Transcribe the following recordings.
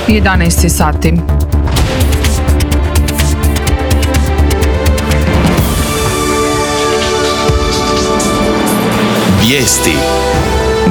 11 sati. Vijesti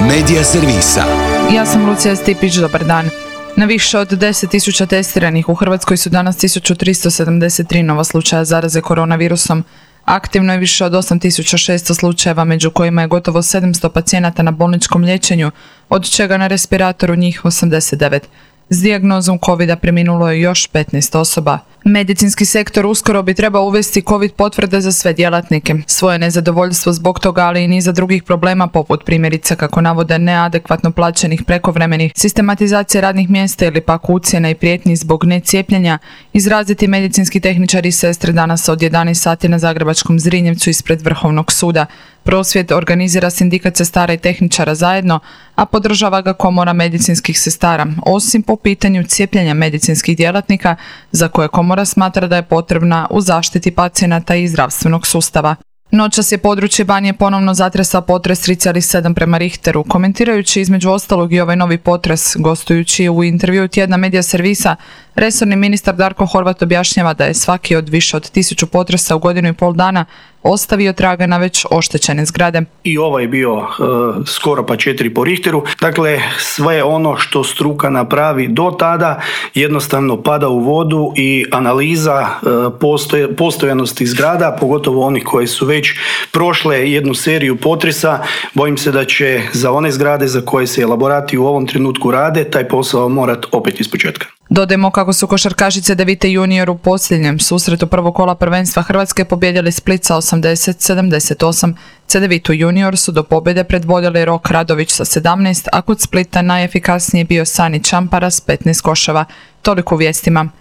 Medija servisa. Ja sam Lucija Stipić, dobar dan. Na više od 10.000 testiranih u Hrvatskoj su danas 1373 nova slučaja zaraze koronavirusom. Aktivno je više od 8.600 slučajeva, među kojima je gotovo 700 pacijenata na bolničkom liječenju, od čega na respiratoru njih 89. S dijagnozom COVID-a preminulo je još 15 osoba. Medicinski sektor uskoro bi trebao uvesti COVID potvrde za sve djelatnike. Svoje nezadovoljstvo zbog toga, ali i niza drugih problema, poput primjerice, kako navode, neadekvatno plaćenih prekovremenih, sistematizacije radnih mjesta ili pak ucjena i prijetnji zbog necijepljenja, izraziti medicinski tehničari i sestre danas od 11 sati na zagrebačkom Zrinjevcu ispred Vrhovnog suda. Prosvjed organizira sindikat sestara i tehničara zajedno, a podržava ga Komora medicinskih sestara, osim po pitanju cijepljenja medicinskih djelatnika, za koje Komora smatra da je potrebna u zaštiti pacijenata i zdravstvenog sustava. Noćas je područje Banije ponovno zatresao potres 3,7 prema Richteru. Komentirajući između ostalog i ovaj novi potres, gostujući u intervjuu Tjedna Medija servisa, resorni ministar Darko Horvat objašnjava da je svaki od više od 1000 potresa u godinu i pol dana ostavio traga na već oštećene zgrade. I ovaj je bio skoro pa 4 po Richteru. Dakle, sve ono što struka napravi do tada jednostavno pada u vodu i analiza postojanosti zgrada, pogotovo onih koje su već prošle jednu seriju potresa, bojim se da će za one zgrade za koje se elaborati u ovom trenutku rade, taj posao morati opet ispočetka. Dodajmo kako su košarkašice Devite junior u posljednjem susretu prvog kola prvenstva Hrvatske pobijedili Split sa 80-78. Cedevitu junior su do pobjede predvodili Rok Radović sa 17, a kod Splita najefikasniji bio Sani Čampara s 15 koševa. Toliko u vijestima.